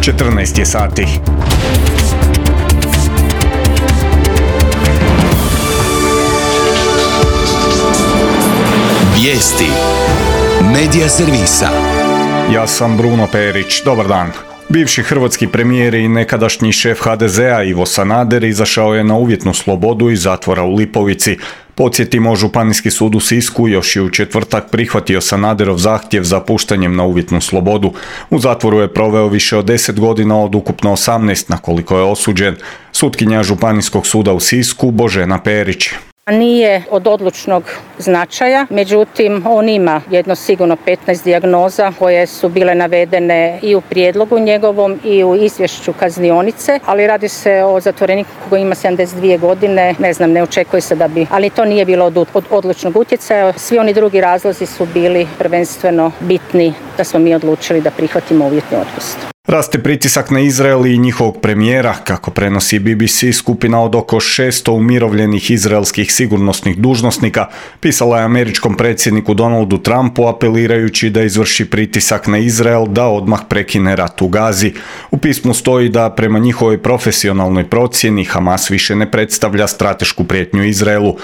14 je sati. Vijesti Medija servisa. Ja sam Bruno Perić, dobar dan. Bivši hrvatski premijer i nekadašnji šef HDZ-a Ivo Sanader izašao je na uvjetnu slobodu iz zatvora u Lipovici. Podsjetimo, Županijski sud u Sisku još je u četvrtak prihvatio Sanaderov zahtjev za puštanjem na uvjetnu slobodu. U zatvoru je proveo više od 10 godina od ukupno 18 na koliko je osuđen. Sutkinja Županijskog suda u Sisku Božena Perić. Nije od odlučnog značaja, međutim on ima jedno sigurno 15 dijagnoza koje su bile navedene i u prijedlogu njegovom i u izvješću kaznionice, ali radi se o zatvoreniku koji ima 72 godine, ne očekuje se da bi, ali to nije bilo od odlučnog utjecaja. Svi oni drugi razlozi su bili prvenstveno bitni da smo mi odlučili da prihvatimo uvjetni otpust. Raste pritisak na Izrael i njihovog premijera, kako prenosi BBC. Skupina od oko 600 umirovljenih izraelskih sigurnosnih dužnosnika pisala je američkom predsjedniku Donaldu Trumpu apelirajući da izvrši pritisak na Izrael da odmah prekine rat u Gazi. U pismu stoji da prema njihovoj profesionalnoj procjeni Hamas više ne predstavlja stratešku prijetnju Izraelu.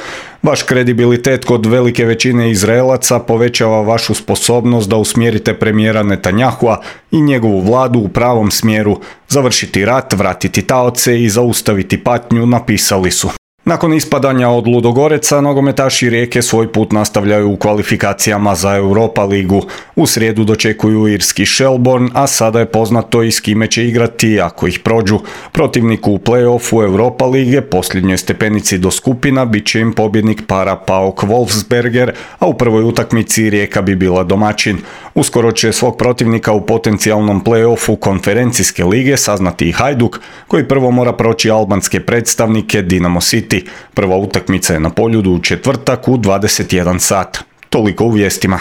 Vaš kredibilitet kod velike većine Izraelaca povećava vašu sposobnost da usmjerite premijera Netanyahua i njegovu vladu u pravom smjeru, završiti rat, vratiti taoce i zaustaviti patnju, napisali su. Nakon ispadanja od Ludogoreca, nogometaši Rijeke svoj put nastavljaju u kvalifikacijama za Europa ligu. U srijedu dočekuju irski Shelbourne, a sada je poznato i s kime će igrati ako ih prođu. Protivniku u play-offu Europa lige, posljednjoj stepenici do skupina, bit će im pobjednik para PAOK Wolfsberger, a u prvoj utakmici Rijeka bi bila domaćin. Uskoro će svog protivnika u potencijalnom play-offu konferencijske lige saznati i Hajduk, koji prvo mora proći albanske predstavnike Dinamo City. Prva utakmica je na Poljudu u četvrtak u 21 sat. Toliko u vijestima.